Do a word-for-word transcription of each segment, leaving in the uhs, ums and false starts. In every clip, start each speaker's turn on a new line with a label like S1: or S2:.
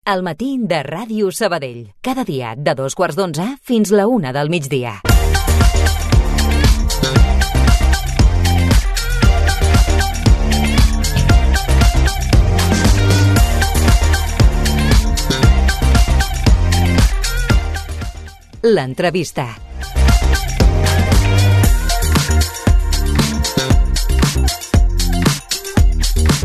S1: El matí de Ràdio Sabadell. Cada dia de dos quarts d'onze fins la una del migdia. L'entrevista.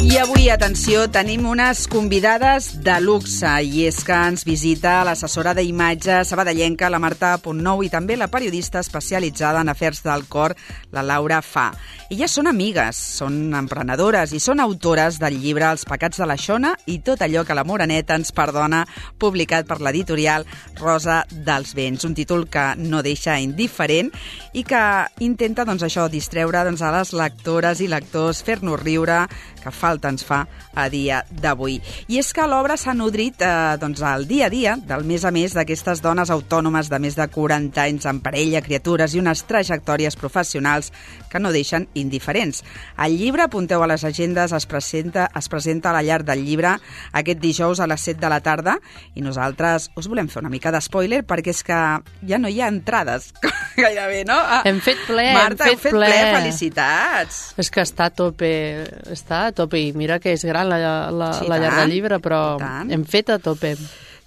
S2: I avui, atenció, tenim unes convidades de luxe i és que ens visita l'assessora d'imatge sabadellenca, la Marta Puntnou, i també la periodista especialitzada en afers del cor, la Laura Fa. Elles són amigues, són emprenedores i són autores del llibre Els pecats de la Xona i tot allò que la Moreneta ens perdona, publicat per l'editorial Rosa dels Vents, un títol que no deixa indiferent i que intenta, doncs, això, distreure doncs, a les lectores i lectors, fer-nos riure, que falta ens fa a dia d'avui. I és que l'obra s'ha nodrit eh, doncs, al dia a dia, del mes a mes, d'aquestes dones autònomes de més de quaranta anys amb parella, criatures i unes trajectòries professionals que no deixen indiferents. El llibre, apunteu a les agendes, es presenta, es presenta a la Llar del Llibre aquest dijous a les set de la tarda i nosaltres us volem fer una mica d'espoiler perquè és que ja no hi ha entrades gairebé, no? Ah,
S3: hem fet ple,
S2: Marta,
S3: hem fet,
S2: fet ple.
S3: ple.
S2: Felicitats!
S3: És que està a tope, està a tope i mira que és gran la, la,
S2: sí,
S3: la Llar del Llibre, però hem fet a tope.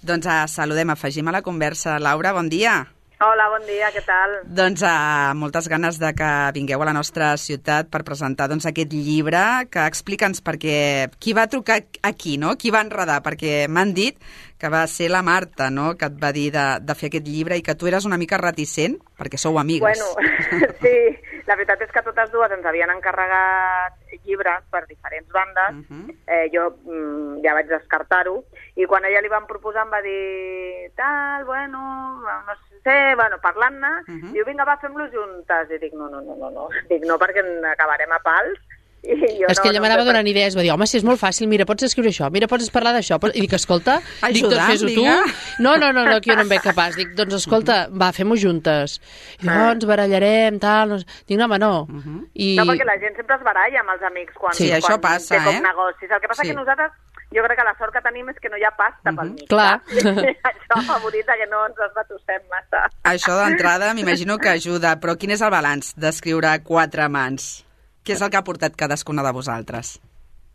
S2: Doncs uh, saludem, afegim a la conversa. Laura, bon dia.
S4: Hola, bon dia, què tal?
S2: Doncs uh, moltes ganes de que vingueu a la nostra ciutat per presentar doncs, aquest llibre, que explica'ns perquè qui va trucar aquí, no? Qui va enredar? Perquè m'han dit que va ser la Marta, no?, que et va dir de, de fer aquest llibre i que tu eres una mica reticent, perquè sou amigues.
S4: Bueno, sí, la veritat és que totes dues ens havien encarregat llibres per diferents bandes. Uh-huh. eh, jo mm, ja vaig descartar-ho, i quan a ella li van proposar em va dir tal, bueno, no sé, bueno, parlant-ne, uh-huh. diu, vinga, va, fem-lo juntes. I dic, no, no, no, no, no, dic, no, perquè acabarem a pals. I jo
S3: és
S4: no,
S3: que ella
S4: no
S3: m'anava
S4: per...
S3: donant idees, va dir, home, si és molt fàcil, mira, pots escriure això, mira, pots parlar d'això, i dic, escolta, dic, doncs fes-ho tu. No, no, no, no, que jo no em veig capaç. Dic, doncs escolta, va, fem-ho juntes. I oh, ens barallarem, tal, no... Dic, no, home, no. Uh-huh. I...
S4: No, perquè la gent sempre es baralla amb els amics quan,
S2: sí,
S4: quan
S2: això passa,
S4: té com
S2: eh?
S4: negocis. El que passa sí. que nosaltres, jo crec que la sort que tenim és que no hi ha pasta uh-huh. pel mig.
S3: Clar.
S4: Això favoritza que no ens esbatussem massa.
S2: Això d'entrada m'imagino que ajuda, però quin és el balanç d'escriure quatre mans? Què és el que ha portat cadascuna de vosaltres?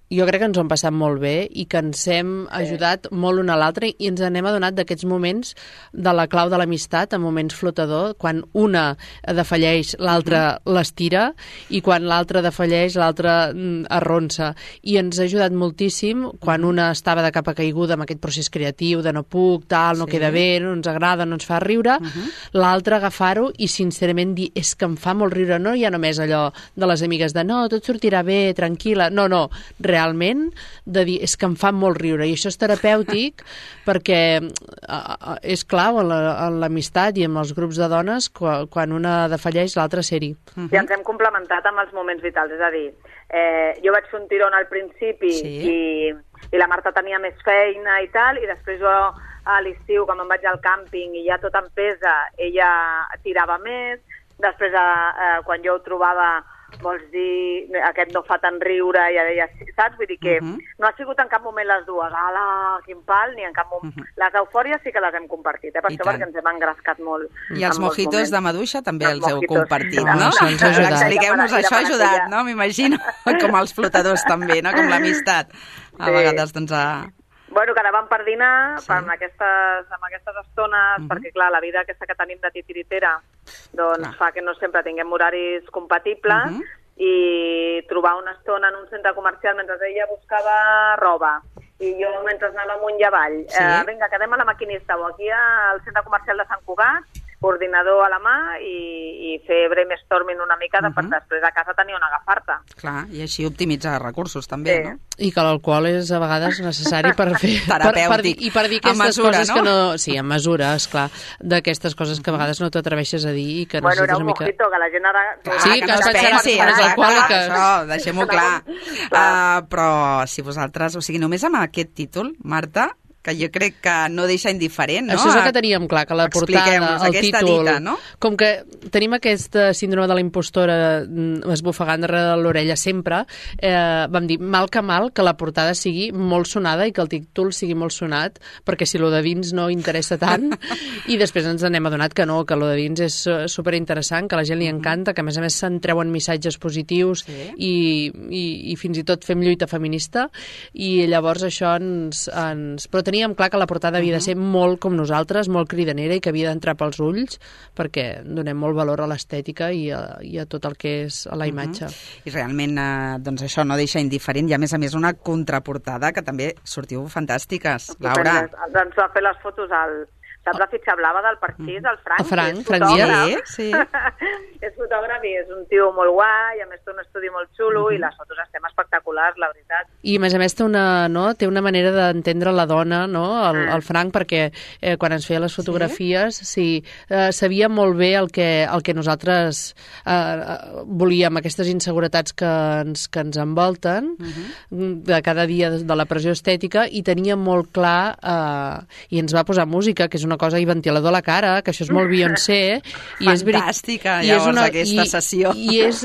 S3: Jo crec que ens ho hem passat molt bé i que ens hem ajudat sí. molt un a l'altre i ens n'hem adonat d'aquests moments de la clau de l'amistat, en moments flotador, quan una defalleix, l'altra uh-huh. l'estira, i quan l'altra defalleix, l'altra arronsa. I ens ha ajudat moltíssim quan una estava de capa caiguda amb aquest procés creatiu de no puc, tal, no sí. queda bé, no ens agrada, no ens fa riure, uh-huh. l'altra agafar-ho i sincerament dir, és que em fa molt riure, no hi ha només allò de les amigues de no, tot sortirà bé, tranquil·la, no, no, realment realment, de dir, és que em fa molt riure, i això és terapèutic perquè uh, és clau en l'amistat la, i en els grups de dones quan, quan una defalleix l'altra ser-hi.
S4: Uh-huh. I ens hem complementat amb els moments vitals, és a dir, eh, jo vaig fer un tirón al principi sí. i, i la Marta tenia més feina i tal, i després jo a l'estiu, quan me'n vaig al càmping i ja tot em pesa, ella tirava més, després eh, quan jo ho trobava vols dir, aquest no fa tant riure, ja deia, saps? Vull dir que uh-huh. no ha sigut en cap moment les dues, ala, quin pal, ni en cap moment. Uh-huh. Les eufòries sí que les hem compartit, eh? Per I això tant. Perquè ens hem engrescat molt.
S2: I els mojitos de maduixa també els, els heu compartit,
S3: no?
S2: no?
S3: no?
S2: Expliqueu-nos, això ha ajudat, no? M'imagino, com els flotadors també, no? Com l'amistat. A sí. vegades, doncs, a...
S4: Bueno, que ara vam per dinar, sí. per amb aquestes, amb aquestes estones, uh-huh. perquè, clar, la vida aquesta que tenim de titiritera doncs clar. Fa que no sempre tinguem horaris compatibles uh-huh. i trobar una estona en un centre comercial mentre ella buscava roba i jo mentre anava amunt i avall. Sí. Eh, vinga, quedem a la maquinista o aquí al centre comercial de Sant Cugat, ordinador a la mà i, i fer brainstorming una mica de, uh-huh. per després a casa tenir on agafar-te.
S2: Clar, i així optimitzar recursos també, sí. no?
S3: I que l'alcohol és a vegades necessari per fer...
S2: terapèutic.
S3: Per, per dir, I per dir aquestes
S2: mesura,
S3: coses
S2: no?
S3: que no... Sí, en mesura, esclar, d'aquestes coses que a vegades no t'atreveixes a dir i que
S4: bueno, era un
S3: una mica...
S4: mojito, que la gent ara...
S2: Clar,
S3: sí,
S2: que, que no es pensi,
S3: les alcohòliques.
S2: Això, deixem-ho clar. Uh, però si vosaltres... O sigui, només amb aquest títol, Marta, que jo crec que no deixa indiferent, no?
S3: Això és el que teníem clar, que la portada, el títol...
S2: Dita, no?
S3: Com que tenim aquest síndrome de la impostora esbufegant darrere de l'orella sempre, eh, vam dir, mal que mal, que la portada sigui molt sonada i que el títol sigui molt sonat, perquè si lo de dins no interessa tant, i després ens anem adonat que no, que lo de dins és superinteressant, que a la gent li encanta, que a més a més se'n treuen missatges positius sí. i, i, i fins i tot fem lluita feminista, i llavors això ens... ens... Però teníem clar que la portada havia de ser molt com nosaltres, molt cridanera i que havia d'entrar pels ulls perquè donem molt valor a l'estètica i, i a tot el que és a la imatge.
S2: Uh-huh. I realment eh, doncs això no deixa indiferent i a més a més una contraportada que també sortiu fantàstiques. Laura.
S4: Doncs va fer les fotos al... Saps la fitxa blava del partit, el Frank?
S3: El Frank,
S4: és
S3: Frank
S2: Díaz. Sí, sí.
S4: És fotògraf i és un tio molt guai, a més té un estudi molt xulo uh-huh. i les fotos estem espectaculars, la veritat.
S3: I a més a més té una, no, té una manera d'entendre la dona, no, el, el Frank, perquè eh, quan ens feia les fotografies, sí, sí eh, sabia molt bé el que, el que nosaltres eh, volíem, aquestes inseguretats que ens, que ens envolten uh-huh. de cada dia de la pressió estètica, i tenia molt clar eh, i ens va posar música, que és una cosa, i ventilador a la cara, que això és molt Beyoncé. I
S2: fantàstica, és, llavors, i és una, aquesta i, sessió.
S3: I, és,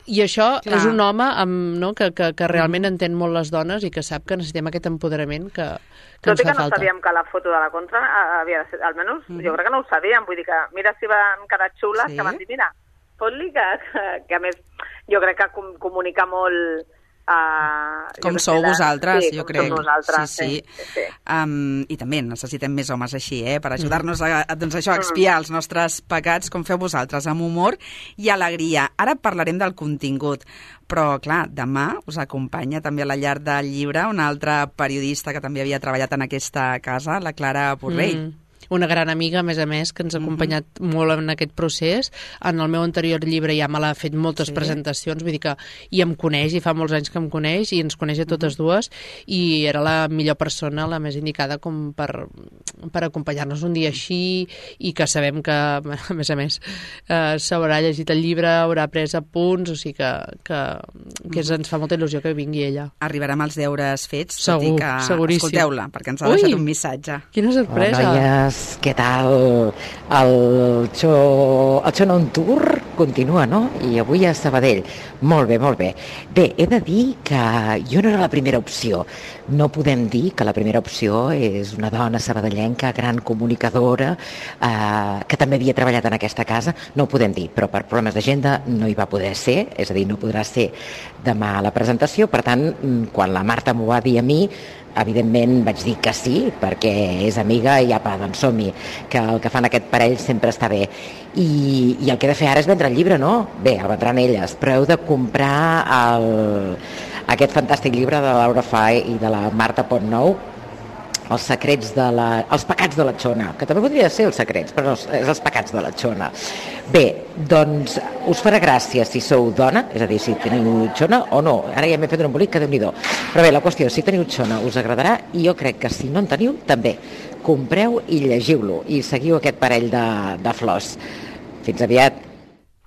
S3: i això clar. És un home amb, no, que, que, que realment entén molt les dones i que sap que necessitem aquest empoderament que, que
S4: Tot
S3: ens fa falta. Tot i
S4: que no sabíem que la foto de la contra havia de ser, almenys mm. jo crec que no ho sabíem, vull dir que mira si van quedar xules, sí? Que van dir, mira, fot-li que, que, que a més jo crec que com, comunica molt... Uh,
S2: com sou la... vosaltres,
S4: sí,
S2: jo crec.
S4: Nosaltres,
S2: sí, sí.
S4: sí, sí.
S2: Um, I també necessitem més homes així, eh? Per ajudar-nos a, a, doncs això, a expiar els nostres pecats, com feu vosaltres, amb humor i alegria. Ara parlarem del contingut, però, clar, demà us acompanya també a la llar del llibre una altra periodista que també havia treballat en aquesta casa, la Clara Borrell. Mm.
S3: Una gran amiga, a més a més, que ens ha acompanyat uh-huh. molt en aquest procés. En el meu anterior llibre ja me l'ha fet moltes sí. presentacions, vull dir que i em coneix, i fa molts anys que em coneix, i ens coneix a totes uh-huh. dues, i era la millor persona, la més indicada com per, per acompanyar-nos un dia així, i que sabem que, a més a més, eh, s'haurà llegit el llibre, haurà pres apunts, o sigui que, que, que uh-huh. ens fa molta il·lusió que vingui ella.
S2: Arribarà amb els deures fets,
S3: segur,
S2: tot i que
S3: seguríssim.
S2: Escolteu-la, perquè ens ha deixat Ui, un missatge.
S3: Quina sorpresa!
S5: Hola, noies. Què tal? El show, el show on tour continua, no? I avui a Sabadell. Molt bé, molt bé. Bé, he de dir que jo no era la primera opció. No podem dir que la primera opció és una dona sabadellenca, gran comunicadora, eh, que també havia treballat en aquesta casa. No ho podem dir, però per problemes d'agenda no hi va poder ser, és a dir, no podrà ser demà a la presentació. Per tant, quan la Marta m'ho va dir a mi, evidentment vaig dir que sí, perquè és amiga i apa, doncs som-hi, que el que fan aquest parell sempre està bé. I, i el que he de fer ara és vendre el llibre, no? Bé, el vendran elles, però heu de comprar el, aquest fantàstic llibre de la Laura Fai i de la Marta Pontnou, els secrets de la... els pecats de la Xona, que també podria ser els secrets, però no, és els pecats de la Xona. Bé, doncs us farà gràcia si sou dona, és a dir, si teniu xona o no. Ara ja m'he fet un embolic, que Déu-n'hi-do. Però bé, la qüestió, si teniu xona us agradarà, i jo crec que si no en teniu, també. Compreu i llegiu-lo, i seguiu aquest parell de, de flors. Fins aviat.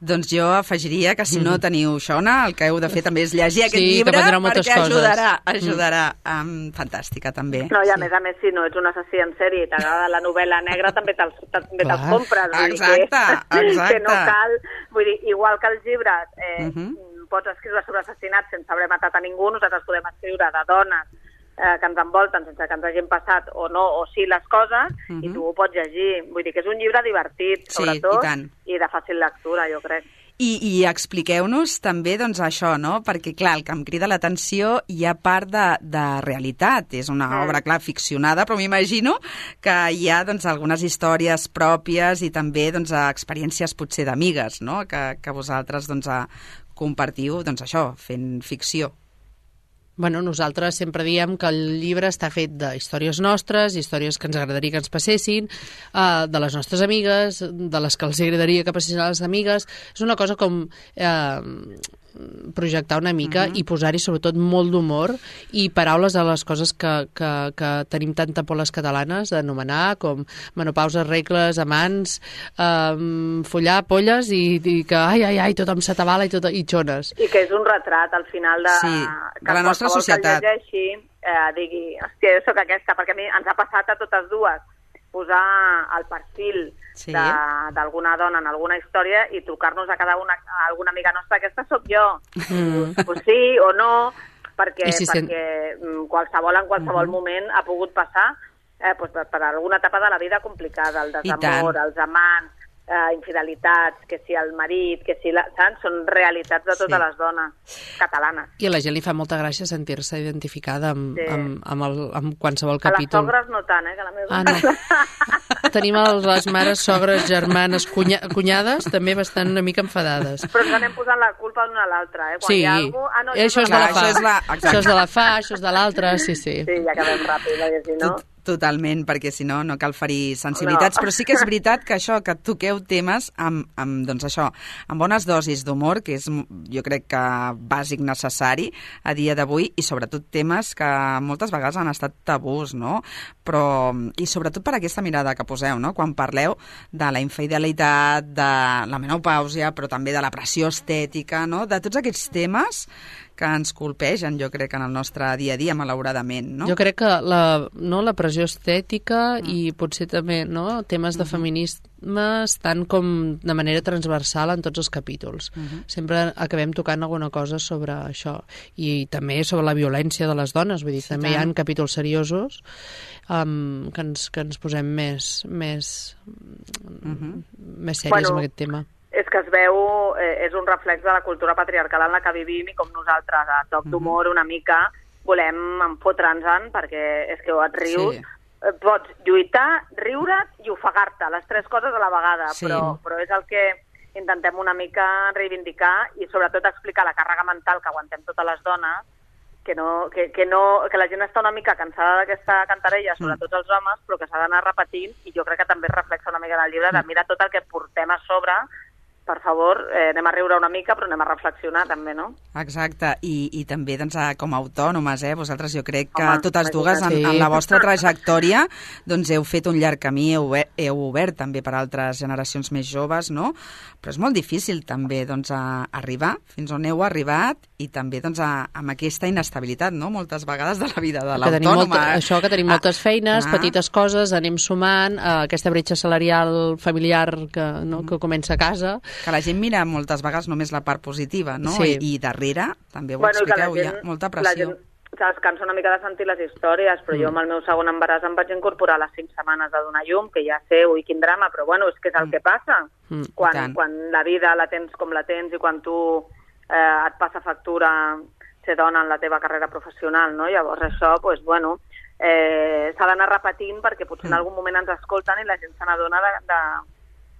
S2: Doncs jo afegiria que si no teniu xona, el que heu de fer també és llegir aquest
S3: sí,
S2: llibre, perquè
S3: coses.
S2: ajudarà, ajudarà. Mm. Um, fantàstica, també.
S4: No, i a
S2: sí.
S4: més a més, si no ets un assassí en sèrie i t'agrada la novel·la negra, també te'ls també te'ls compres. Vull
S2: exacte,
S4: dir que,
S2: exacte.
S4: Que no cal, vull dir, igual que els llibres, eh,
S2: uh-huh.
S4: pots escriure sobre assassinats sense haver matat a ningú, nosaltres podem escriure de dones eh, que ens envolten sense que ens hagin passat o no, o sí les coses, uh-huh. i tu ho pots llegir. Vull dir que és un llibre divertit, sobretot,
S2: sí, i,
S4: i de fàcil lectura, jo crec.
S2: I, i expliqueu-nos també doncs, això, no? Perquè, clar, el que em crida l'atenció hi ha part de, de realitat. És una mm. obra, clar, ficcionada, però m'imagino que hi ha doncs, algunes històries pròpies i també doncs, experiències potser d'amigues, no? Que, que vosaltres doncs, compartiu doncs, això, fent ficció.
S3: Bueno, nosaltres sempre diem que el llibre està fet de històries nostres, històries que ens agradaria que ens passessin, uh, de les nostres amigues, de les que els agradaria que passessin a les amigues. És una cosa com uh, projectar una mica uh-huh. i posar-hi sobretot molt d'humor i paraules a les coses que, que, que tenim tanta por les catalanes d'anomenar, com menopauses, regles, amants, um, follar, polles i, i que ai, ai, ai, tothom s'atabala i, tot, i xones.
S4: I que és un retrat al final de,
S2: sí,
S4: que
S2: de la nostra societat.
S4: Que el llegeixi eh, digui, hòstia, jo soc aquesta, perquè a mi ens ha passat a totes dues posar el perfil sí. d'alguna dona en alguna història i trucar-nos a cada una, a alguna amiga nostra, aquesta sóc jo. Mm. Pues sí o no, perquè, si perquè sent... qualsevol en qualsevol mm. moment ha pogut passar eh, pues, per, per alguna etapa de la vida complicada, el desamor, els amants, eh, infidelitats, que si el marit, que si la... Saps? Són realitats de totes sí. les dones catalanes.
S3: I a la gent li fa molta gràcia sentir-se identificada amb, sí. amb, amb, el, amb qualsevol capítol.
S4: A les sogres no tant, eh? Que la meva...
S3: Ah, no. Tenim les mares, sogres, germanes, cunya, cunyades, també bastant una mica enfadades.
S4: Però ens anem posant la culpa l'una a l'altra, eh? Quan
S3: sí.
S4: hi ha algú... Ah, no,
S3: això, això, és de la fa. Això, és la... això és de la fa, això és de l'altra, sí, sí.
S4: Sí, ja acabem ràpid, perquè si no...
S2: Tot... Totalment, perquè si no, no cal ferir sensibilitats, no. Però sí que és veritat que això, que toqueu temes amb, amb, doncs això, amb bones dosis d'humor, que és, jo crec que bàsic necessari a dia d'avui, i sobretot temes que moltes vegades han estat tabús, no? Però, i sobretot per aquesta mirada que poseu, no? Quan parleu de la infidelitat, de la menopàusia, però també de la pressió estètica, no? De tots aquests temes que ens colpegen, jo crec, en el nostre dia a dia, malauradament, no?
S3: Jo crec que la, no, la pressió estètica mm. i potser també no, temes de feminisme estan com de manera transversal en tots els capítols. Mm-hmm. Sempre acabem tocant alguna cosa sobre això. I també sobre la violència de les dones, vull dir, sí, també tant. Hi ha capítols seriosos um, que, ens, que ens posem més, més, mm-hmm. més sèries bueno. amb aquest tema.
S4: És que es veu, eh, és un reflex de la cultura patriarcal en la que vivim i com nosaltres, a toc d'humor, una mica, volem enfotre'ns-en perquè és que et rius, sí. pots lluitar, riure't i ofegar-te, les tres coses a la vegada, sí. però, però és el que intentem una mica reivindicar i sobretot explicar la càrrega mental que aguantem totes les dones, que, no, que, que, no, que la gent està una mica cansada d'aquesta cantarella, sobretot els homes, però que s'ha d'anar repetint i jo crec que també es reflexa una mica en el llibre de mira tot el que portem a sobre. Per favor, eh, anem a riure una mica, però anem a reflexionar també, no?
S2: Exacte, i, i també doncs, com a autònomes, eh? Vosaltres jo crec que Home, totes dues en, en la vostra trajectòria doncs heu fet un llarg camí, heu, heu obert també per altres generacions més joves, no? Però és molt difícil també doncs, a arribar fins on heu arribat i també doncs, a, amb aquesta inestabilitat, no? Moltes vegades de la vida de l'autònoma.
S3: Això, que tenim moltes feines, ah, petites coses, anem sumant, eh, aquesta bretxa salarial familiar que, no, que comença a casa.
S2: Que la gent mira moltes vegades només la part positiva, no?
S3: Sí.
S2: I, I darrere, també ho
S4: bueno,
S2: expliqueu,
S4: gent,
S2: hi ha molta pressió.
S4: La gent es cansa una mica de sentir les històries, però mm. jo amb el meu segon embaràs em vaig incorporar a les cinc setmanes de donar llum, que ja sé, ui, quin drama, però bueno, és que és el mm. que passa. Mm. Quan, quan la vida la tens com la tens i quan tu eh, et passa factura ser dona en la teva carrera professional, no? Llavors això, doncs, bueno, eh, s'ha d'anar repetint perquè potser mm. en algun moment ens escolten i la gent se n'adona de... de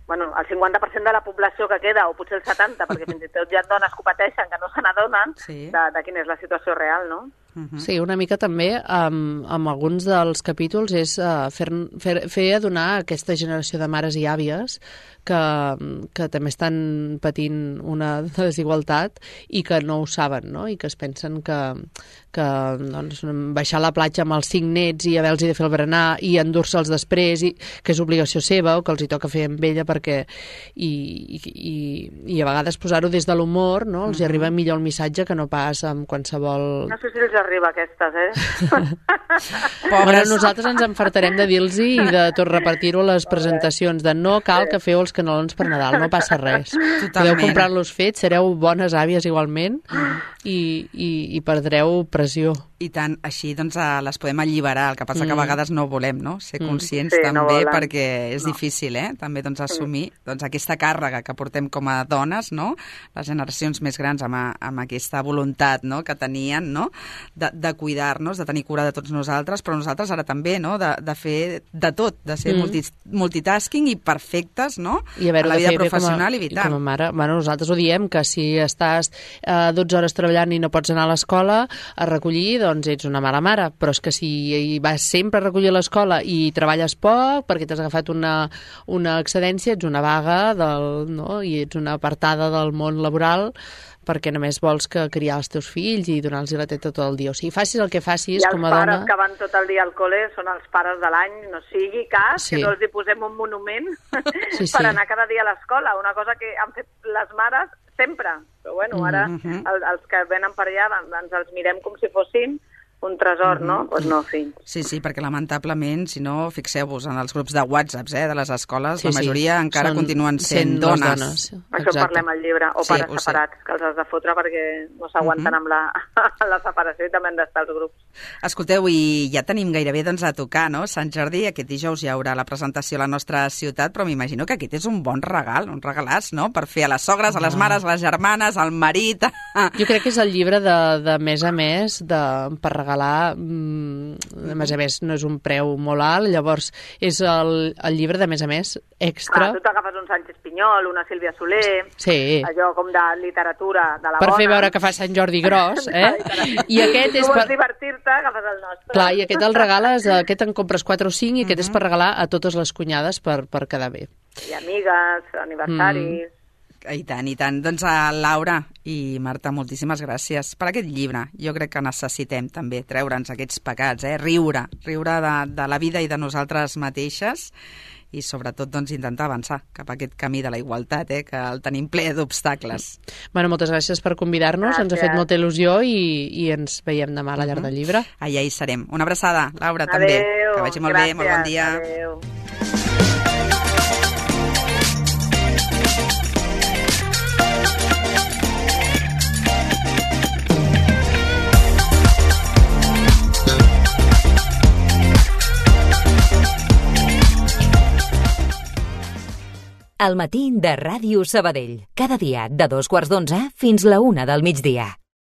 S4: bueno, el cinquanta per cent de la població que queda, o potser el setanta, perquè fins i tot hi ha dones que pateixen que no se n'adonen sí. de, de quina és la situació real, no?
S3: Uh-huh. Sí, una mica també amb, amb alguns dels capítols és uh, fer, fer, fer adonar a aquesta generació de mares i àvies que, que també estan patint una desigualtat i que no ho saben, no? I que es pensen que, que doncs, baixar a la platja amb els cinc nets i haver-los de fer el berenar i endur-se'ls després, i, que és obligació seva o que els hi toca fer amb ella perquè... I, i, i a vegades posar-ho des de l'humor, no? Els uh-huh. arriba millor el missatge que no pas amb qualsevol...
S4: No sé si els arriba aquestes, eh?
S3: Bueno, nosaltres ens enfartarem de dir-los i de tot repartir-ho a les presentacions, de no cal que feu els canelons per Nadal, no passa res. Totalment. Podeu comprar-los fets, sereu bones àvies igualment i, i, i perdreu pressió.
S2: I tant, així doncs les podem alliberar, el que passa mm. que a vegades no volem, no? Ser conscients
S4: sí,
S2: també,
S4: no
S2: perquè és
S4: no.
S2: difícil, eh? També doncs assumir doncs, aquesta càrrega que portem com a dones, no? Les generacions més grans amb, a, amb aquesta voluntat, no? Que tenien, no? De, de cuidar-nos, de tenir cura de tots nosaltres, però nosaltres ara també, no? De, de fer de tot, de ser mm. multi, multitasking i perfectes, no?
S3: I a
S2: la vida professional
S3: a,
S2: i vital.
S3: I com a mare, bueno, nosaltres ho diem, que si estàs eh, dotze hores treballant i no pots anar a l'escola a recollir, doncs ets una mala mare, però és que si vas sempre a recollir a l'escola i treballes poc perquè t'has agafat una, una excedència, ets una vaga del, no? I ets una apartada del món laboral perquè només vols que criar els teus fills i donar-los la teta tot el dia. O sigui, facis el que facis com a dona...
S4: I els pares que van tot el dia al col·le són els pares de l'any, no sigui cas, sí. que no els hi posem un monument sí, sí. per anar cada dia a l'escola, una cosa que han fet les mares sempre. Però bueno, ara mm-hmm. el, els que venen per allà ens els mirem com si fossin un tresor, mm-hmm. no? Doncs pues no, fills.
S2: Sí, sí, perquè lamentablement, si no, fixeu-vos, en els grups de WhatsApps eh, de les escoles,
S3: sí,
S2: la majoria
S3: sí.
S2: encara
S3: Són
S2: continuen sent dones.
S3: dones.
S4: Això en parlem al llibre, o
S2: sí,
S4: pares separats, que els has de fotre perquè no s'aguanten mm-hmm. amb la, la separació i també han d'estar als grups.
S2: Escolteu, i ja tenim gairebé doncs, a tocar, no? Sant Jordi, aquest dijous hi haurà la presentació a la nostra ciutat, però m'imagino que aquest és un bon regal, un regalàs, no?, per fer a les sogres, a les mares, a les germanes, al marit...
S3: Jo crec que és el llibre de, de mes a mes de, per regalar, de mes a mes no és un preu molt alt, llavors és el, el llibre de mes a mes extra.
S4: Clar, tu t'agafes un Sánchez Pinyol, una Sílvia Soler,
S3: sí.
S4: allò com de literatura de la
S3: per
S4: bona.
S3: Per fer veure que fa Sant Jordi gros, eh? I aquest és
S4: tu vols
S3: per...
S4: divertir-te, agafes el nostre.
S3: Clar, i aquest el regales, aquest en compres quatre o cinc i aquest uh-huh. és per regalar a totes les cunyades per, per quedar bé.
S4: I amigues, aniversaris... Mm.
S2: I tant, i tant. Doncs a Laura i Marta, moltíssimes gràcies per aquest llibre. Jo crec que necessitem també treure'ns aquests pecats, eh? Riure, riure de, de la vida i de nosaltres mateixes i sobretot doncs, intentar avançar cap a aquest camí de la igualtat, eh? Que el tenim ple d'obstacles.
S3: Bueno, moltes gràcies per convidar-nos, ens ha fet molta il·lusió i, i ens veiem demà a la llar del llibre.
S2: Allà hi serem. Una abraçada, Laura,
S4: adeu,
S2: també. Que vagi molt
S4: gràcies,
S2: bé, molt bon dia.
S4: Adéu.
S1: El matí de Ràdio Sabadell. Cada dia de dos quarts d'onze fins la una del migdia.